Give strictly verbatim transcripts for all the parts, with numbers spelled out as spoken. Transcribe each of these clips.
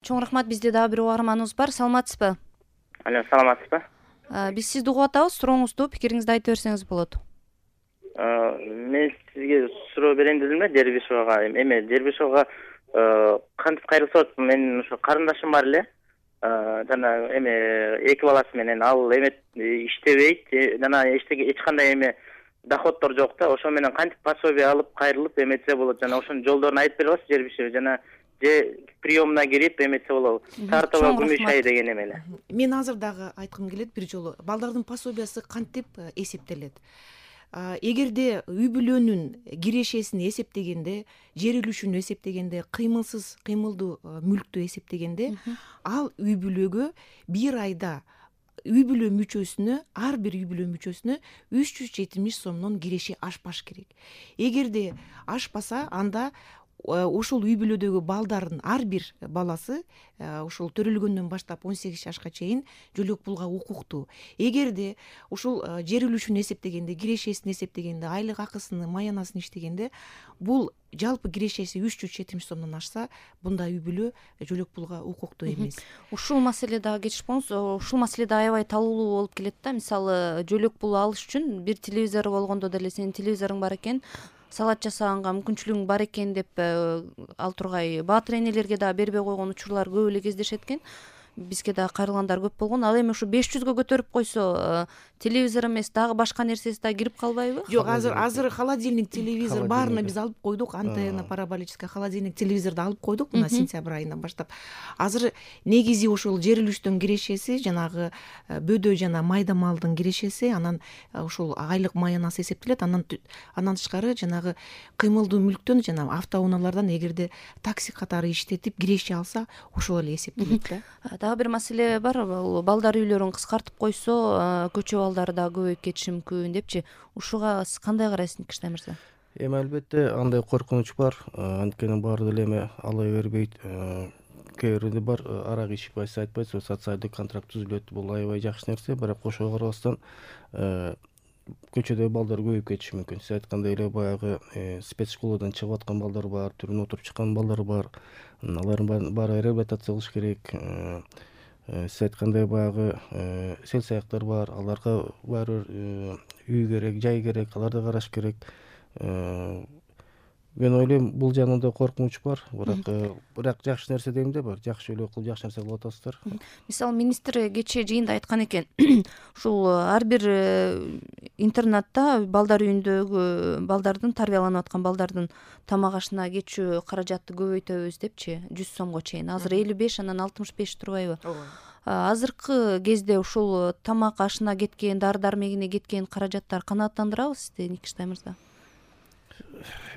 Чоң рахмат. Бизде дагы бир угарманыбыз бар. Саламатсызбы? Алло, саламатсызбы? Биз сизди угуп атабыз. Сурооңузду, пикириңизди айтып берсеңиз болот. Мен сизге суроо берейин дедим эле, Дербишовага. Эме Дербишовага кантип кайрылса болот? Менин ошо карындашым бар эле. Жана эме эки баласы менен ал эме иштебейт, жана эч кандай эме доходдор жок да. Ошо менен кантип пособие алып кайрылып эметсе болот? Жана ошонун жолдорун айтып бере аласыз, Дербишев? Жана же приемна кирип эметсе болобу? Тартова күмүш ай деген эме эле. Мен азыр дагы айткым келет бир жолу. Балдардын пособиясы кантип эсептелет? Эгерде үй бүлөнүн кирешесин эсептегенде, жер үлүшүн эсептегенде, кыймылсыз кыймылдуу мүлктү эсептегенде, ал үй бүлөгө бир айда үй бүлө мүчөсүнө, ар бир үй бүлө мүчөсүнө үч жүз жетимиш сомдон киреше ашпаш керек. Эгерде ашпаса, анда ошол үй бүлөдөгү балдардын ар бир баласы ушул төрөлгөндөн баштап он сегиз жашка чейин жөлөк пулга укуктуу. Эгерде ушул жер үлүшүн эсептегенде, кирешесин эсептегенде, айлык акысын, маянасын иштегенде, бул жалпы кирешеси үч жүз жетимиш сомдон ашса, бундай үй бүлө жөлөк пулга укуктуу эмес. Ушул маселе дагы кетишпоңуз, ушул маселе да аябай талуулуу болуп келет да. Мисалы, жөлөк пул алыш үчүн бир телевизор болгондо деле сенин телевизоруң бар экен, салат жасаганга мүмкүнчүлүгүң бар экен деп ал тургай баатыр энелерге да бербей койгон учурлар көп эле кездешет экен. Бизге да кайрылгандар көп болгон. Ал эми ушу беш жүзгө көтөрүп койсо, телевизор эмес, дагы башка нерсеси да кирип калбайбы? Жок, азыр азыр холодильник, телевизор баарына биз алып койдук. Антенна параболическая, холодильник, телевизорду алып койдук мына сентябрь айынан баштап. Азыр негизи ушул жер үлүштөн кирешеси, жанагы бөдө жана майда малдын кирешеси, анан ушул айлык маянасы эсептелет. Анан андан тышкары жанагы кыймылдуу мүлктөн, жана автоунаалардан эгерде такси катары иштетип киреше алса, ошол эле эсептелет да. Дагы бир маселе бар, бул балдар үйлөрүн кыскартып койсо, көчө балдары да көбөйүп кетиши мүмкүн депчи. Ушуга сиз кандай карайсыз, Никиштай мырза? Эми албетте андай коркунуч бар. Анткени баары деле эме алай бербейт. Кээ бирде бар, арак ичип кайсы айтпайт, социалдык контракт түзүлөт. Бул аябай жакшы нерсе, бирок ошого карабастан көчөдө балдар көбөйүп кетиши мүмкүн. Сиз айткандай эле баягы спецшколадан чыгып аткан балдар бар, түрүнө отуруп чыккан балдар бар. Алардын баары реабилитация кылыш керек. Сиз айткандай баягы сел саяктар бар, аларга баары үй керек, жай керек, аларды караш керек. Мен ойлойм, бул жанында коркунуч бар, бирок бирок жакшы нерсе дейм да бар. Жакшы ойлоо кылып, жакшы нерсе кылып атасыздар. Мисалы, министр кечээ жыйында айткан экен, ушул ар бир интернатта балдар үйүндөгү балдардын, тарбияланып аткан балдардын тамак ашына кетчү каражатты көбөйтөбүз депчи, жүз сомго чейин. Азыр элүү беш, анан алтымыш беш турбайбы? Азыркы кезде ушул тамак ашына кеткен, дары дармегине кеткен каражаттар канааттандырабы сизди, Никиштай мырза?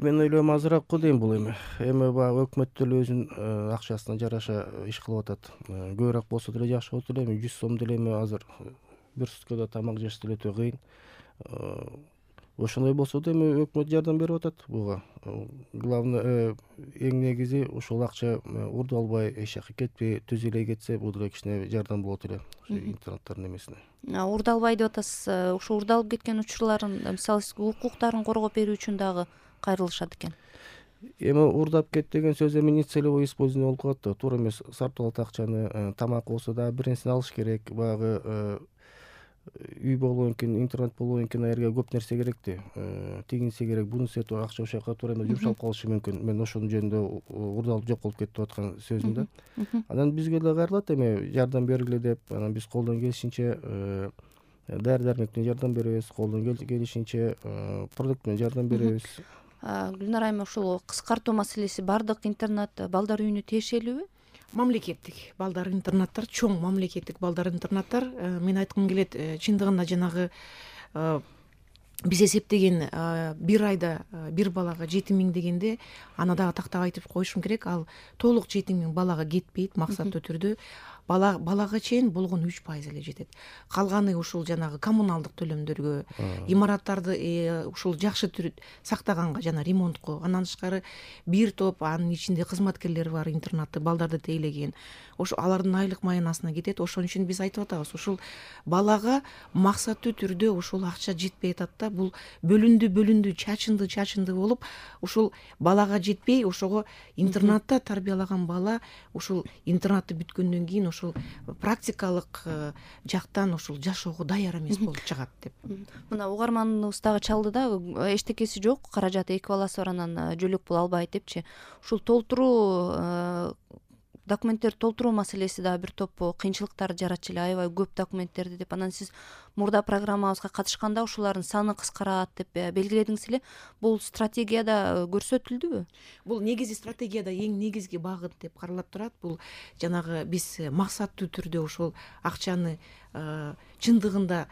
Мен ойлойм, азыраак дейм бул эми. Эми баягы өкмөт деле өзүнүн акчасына жараша иш кылып атат. Көбүрөөк болсо деле жакшы болот эле. Эми жүз сом деле эми азыр бир суткада тамак жеш деле өтө кыйын. Ошондой болсо да эми өкмөт жардам берип атат буга. Главное, эң негизи ушул акча урду албай, эч жакка кетпей, түз эле кетсе, бул деле кичине жардам болот эле интернаттардын эмесине. Урдалбай деп атасыз. Ошо урдалып кеткен учурларын, мисалы, укуктарын коргоп берүү үчүн дагы кайрылышат экен. Эми урдап кет деген сөз эми нецелевой использование болуп калат да. Туура эмес, сатып алат акчаны, тамак болсо дагы бир нерсени алыш керек. Баягы үй болгон экен, интернет болгон экен, аерге көп нерсе керек да. Тигинсе керек, бунусе керек, акча ошол жака туура эмес жумшалып калышы мүмкүн. Мен ошонун жөнүндө урдалып жок болуп кетти деп аткан сөзүм да. Анан бизге да кайрылат эми жардам бергиле деп. Анан биз колдон келишинче дары дармек менен жардам беребиз, колдон келишинче продукт менен жардам беребиз. Гүлнар айым, ушул кыскартуу маселеси бардык интернат балдар үйүнө тиешелүүбү? Мамлекеттик балдар интернаттар, чоң мамлекеттик балдар интернаттар. Мен айткым келет, чындыгында жанагы биз эсептеген бир айда бир балага жети миң дегенде, аны дагы тактап айтып коюшум керек, ал толук жети миң балага кетпейт, максаттуу түрдө. Бала балага чейин болгон үч пайыз эле жетет. Калганы ушул жанагы коммуналдык төлөмдөргө, имараттарды ушул жакшы түрдө сактаганга, жана ремонтко. Андан тышкары бир топ анын ичинде кызматкерлер бар, интернатты балдарды тейлеген. Ошо алардын айлык маянасына кетет. Ошон үчүн биз айтып атабыз, ушул балага максаттуу түрдө ушул акча жетпей атат да. да бул бөлүндү бөлүндү чачынды чачынды болуп ушул балага жетпей ошого интернатта тарбиялаган бала ушул интернатты бүткөндөн кийин ушул практикалык жактан ушул жашоого даяр эмес болуп чыгат деп. Мына угарманыбыз дагы чалды да, эчтекеси жок, каражаты эки баласы бар, анан жөлөк пул албайт депчи. Ушул толтуруу документтерди толтуруу маселеси дагы бир топ кыйынчылыктар жаратчу эле, аябай көп документтерди деп. Анан сиз мурда программабызга катышканда ушулардын саны кыскарат деп белгиледиңиз эле. Бул стратегияда көрсөтүлдүбү? Бул негизи стратегияда эң негизги багыт деп каралып турат. Бул жанагы биз максаттуу түрдө ушул акчаны чындыгында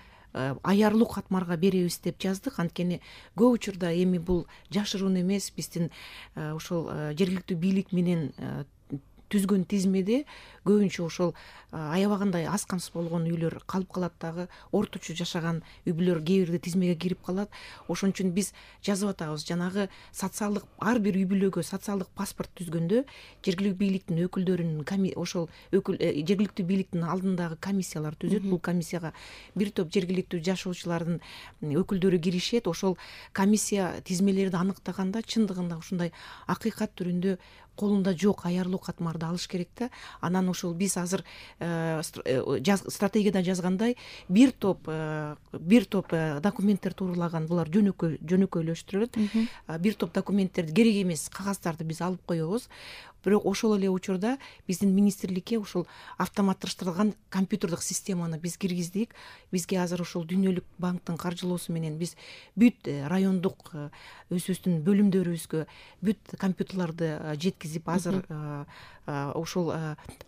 аярлуу катмарга беребиз деп жаздык. Анткени көп учурда эми бул жашыруун эмес, биздин ушул жергиликтүү бийлик менен түзгөн тизмеде көбүнчө ошол аябагандай аз камсыз болгон үйлөр калып калат, дагы орточо жашаган үй бүлөлөр кээ бирде тизмеге кирип калат. Ошон үчүн биз жазып атабыз, жанагы социалдык ар бир үй бүлөгө социалдык паспорт түзгөндө жергиликтүү бийликтин өкүлдөрүнүн ошол өкүл жергиликтүү бийликтин алдындагы комиссиялар түзөт. Бул комиссияга бир топ жергиликтүү жашоочулардын өкүлдөрү киришет. Ошол комиссия тизмелерди аныктаганда чындыгында ушундай акыйкат түрүндө колунда жок аярлуу катмарды алыш керек да. Анан ошол биз азыр стратегияда жазгандай бир топ бир топ документтер тургулаган, булар жөнөкөй жөнөкөйлөштүрүлөт. Бир топ документтерди, керек эмес кагаздарды биз алып коебуз. Бирок ошол эле учурда биздин министрликке ушул автоматташтырылган компьютердик системаны биз киргиздик. Бизге азыр ушул Дүйнөлүк банктын каржылоосу менен биз бүт райондук өзүбүздүн бөлүмдөрүбүзгө бүт компьютерларды жеткизип, азыр ушул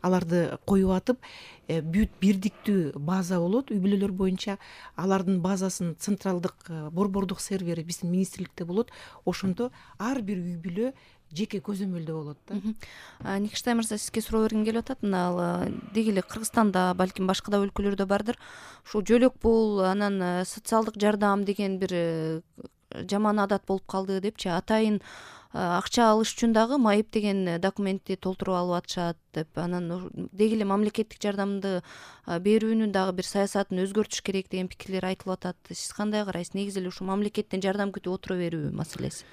аларды коюп атып, бүт бирдиктүү база болот үй бүлөлөр боюнча. Алардын базасын централдык борбордук сервери биздин министрликте болот. Ошондо ар бир үй бүлө жеке көзөмөлдө болот да. Никиштай мырза, сизге суроо бергим келип атат. Мына деги эле Кыргызстанда, балким башка да өлкөлөрдө бардыр. Ушул жөлөк пул, анан социалдык жардам деген бир жаман адат болуп калды депчи. Атайын акча алыш үчүн дагы майып деген документти толтуруп алып атышат деп. Анан деги эле мамлекеттик жардамды берүүнүн дагы бир саясатын өзгөртүш керек деген пикирлер айтылып атат. Сиз кандай карайсыз? Негизи эле ушул мамлекеттен жардам күтүп отура берүү маселеси.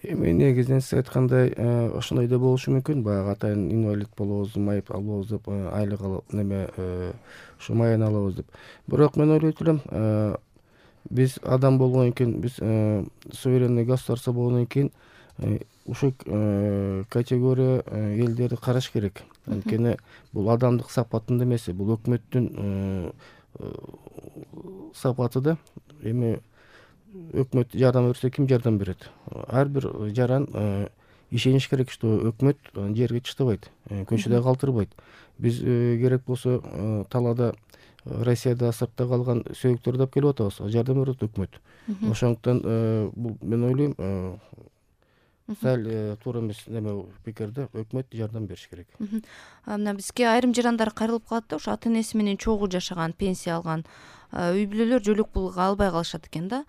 Эми негизинен сиз айткандай ошондой да болушу мүмкүн. Баягы атайын инвалид болобуз, майып албайбыз деп, айлык алып неме ушу майын алабыз деп. Бирок мен ойлойт элем, биз адам болгондон кийин, биз суверенный государство болгондон кийин ушул категория элдерди караш керек. Анткени бул адамдык сапатында эмес, бул өкмөттүн сапаты да. Эми өкмөт жардам берсе, ким жардам берет? Ар бир жаран ишениш керек, что өкмөт жерге чыштабайт, көчөдө калтырбайт. Биз керек болсо талаада, Россияда, сыртта калган сөөктөрдү алып келип атабыз, жардам берет өкмөт. Ошондуктан бул мен ойлойм, сәл туура эмес неме пикирде, өкмөт жардам бериш керек. Мына бизге айрым жарандар кайрылып калат да, ошо ата энеси менен чогуу жашаган, пенсия алган үй бүлөлөр жөлөк пулга албай калышат экен да.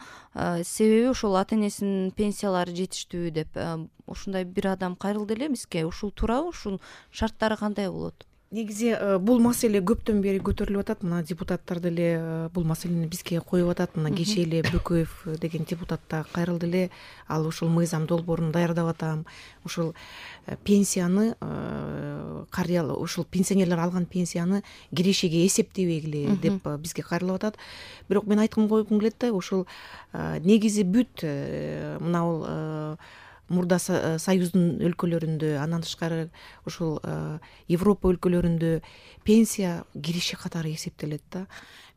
Себеби ошол ата энесинин пенсиялары жетиштүү деп. Ушундай бир адам кайрылды эле бизге. Ушул туурабы? Ушул шарттары кандай болот? Негизи бул маселе көптөн бери көтөрүлүп атат. Мына депутаттар деле бул маселени бизге коюп атат. Мына кечээ эле Бөкөев деген депутат да кайрылды эле. Ал ушул мыйзам долбоорун даярдап атам. Ушул пенсияны карыялар, ушул пенсионерлер алган пенсияны кирешеге эсептебегиле деп бизге кайрылып атат. Бирок мен айткым койгум келет да, ушул негизи бүт мына бул мурда Союздун өлкөлөрүндө, андан тышкары ушул Европа өлкөлөрүндө пенсия киреше катары эсептелет да.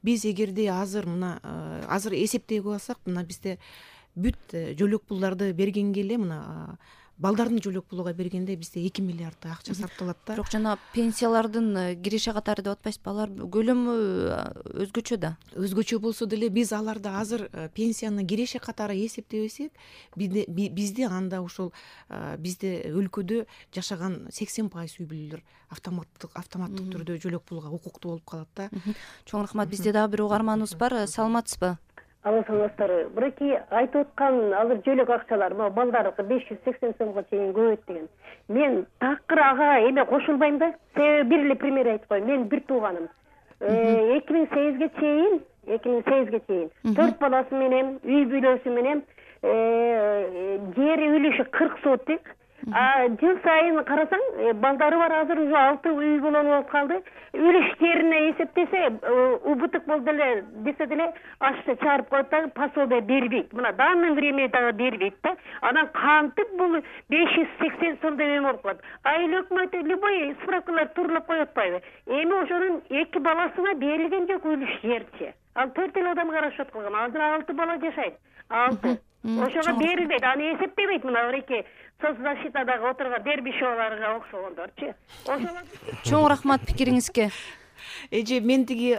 Биз эгерде азыр мына азыр эсептей койсак, мына бизде бүт жөлөк пулдарды бергенге эле, мына балдардын жөлөк пулуга бергенде бизде эки миллиард акча сарпталат да. Бирок жана пенсиялардын киреше катары деп атпайсызбы? Алар көлөмү өзгөчө да. Өзгөчө болсо деле биз аларды азыр пенсияны киреше катары эсептебесек, бизде анда ушул бизде өлкөдө жашаган сексен пайыз үй бүлөлөр автоматтык автоматтык түрдө жөлөк пулга укуктуу болуп калат да. Чоң рахмат. Бизде дагы бир угарманыбыз бар. Саламатсызбы? Алло, саламатсыздарбы. Бураки айтып аткан азыр жөлөк акчалар, могу балдарга беш жүз сексен сомго чейин көбөйт деген. Мен такыр ага эме кошулбайм да. Себеби бир эле пример айтып коеюн. Мен бир тууганым эки миң сегизге чейин эки миң сегизге чейин төрт баласы менен үй бүлөсү менен жери үлүшү кырк сотик. А жыл сайын карасаң, балдары бар азыр уже алты үй болонуп болуп калды. Үлүш жерине эсептесе, убыток болду эле десе деле ашты чыгарып коет дагы пособие бербейт. Мына данный время дагы бербейт да. Анан кантип бул беш жүз сексен сомдой эме болуп калат. Айыл өкмөтү любой справкалар турурлап коюп атпайбы? Эми ошонун эки баласына берилген жок үлүш жерчи. Ал төрт эле адам карашып аткан. Азыр алты бала жашайт. Алты. Ошого берилбейт. Аны эсептебейт мына эки соцзащитадагы отурган Дербишеваларга окшогондорчу. Ошолор. Чоң рахмат пикириңизге. Эже мен тиги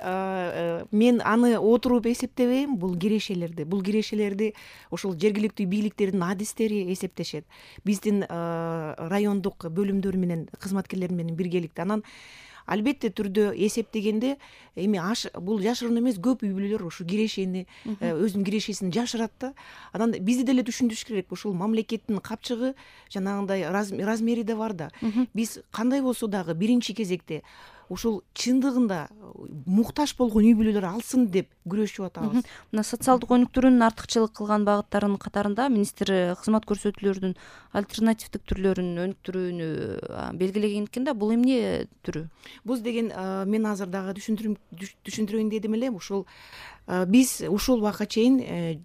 мен аны отуруп эсептебейм, бул кирешелерди. Бул кирешелерди ошол жергиликтүү бийликтердин адистери эсептешет. Биздин райондук бөлүмдөр менен кызматкерлер менен биргеликте. Анан албетте түрдө эсептегенде эми аш бул жашыруун эмес, көп үй бүлөлөр ушу кирешени өзүнүн кирешесин жашырат да. Анан бизди деле түшүндүрүш керек. Ушул мамлекеттин капчыгы жанагындай размери да бар да. Биз кандай болсо дагы биринчи кезекте ушул чындыгында муктаж болгон үй бүлөлөр алсын деп күрөшүп атабыз. Мына социалдык өнүктүрүүнүн артыкчылык кылган багыттарынын катарында министр кызмат көрсөтүүлөрдүн альтернативдик түрлөрүн өнүктүрүүнү белгилеген экен да. Бул эмне түрү? Бул деген мен азыр дагы түшүндүрөйүн дедим эле. Ушул биз ушул убакка чейин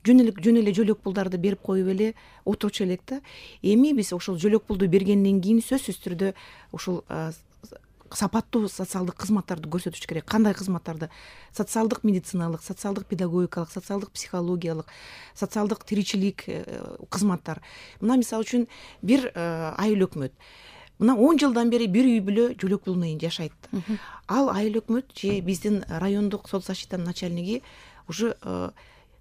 жөн эле жөн эле жөлөк пулдарды берип коюп эле отурчу элек да. Эми биз ошол жөлөк пулду бергенден кийин сөзсүз түрдө ушул сапаттуу социалдык кызматтарды көрсөтүш керек. Кандай кызматтарды? Социалдык медициналык, социалдык педагогикалык, социалдык психологиялык, социалдык тиричилик кызматтар. Мына мисалы үчүн бир айыл өкмөт мына он жылдан бери бир үй бүлө жөлөк пул менен жашайт. Ал айыл өкмөт же биздин райондук соцзащитанын начальниги уже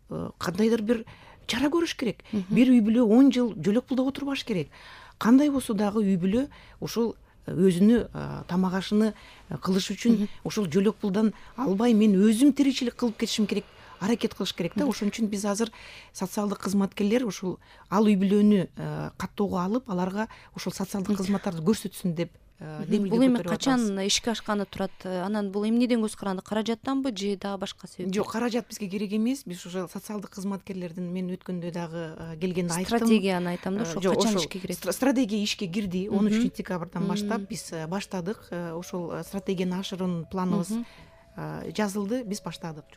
кандайдыр бир чара көрүш керек. Бир үй бүлө он жыл жөлөк пулда отурбаш керек. Кандай болсо дагы үй бүлө ушул өзүнү тамак ашыны кылыш үчүн ошол жөлөк пулдан албай мен өзүм тиричилик кылып кетишим керек, аракет кылыш керек да. Ошон үчүн биз азыр социалдык кызматкерлер ушул ал үй бүлөнү каттоого алып, аларга ушул социалдык кызматтарды көрсөтсүн деп демилдеп Бул эми качан ишке ашканы турат? Анан бул эмнеден көз каранды? Каражаттанбы же дагы башка себеп? Жок, каражат бизге керек эмес. Биз ошо социалдык кызматкерлердин мен өткөндө дагы келгенде айттым. Стратегияны айтам да, ошо качан ишке кирет? Стратегия ишке кирди. он үчүнчү декабрдан баштап биз баштадык. Ошол стратегияны ашыруунун планыбыз жазылды, биз баштадык.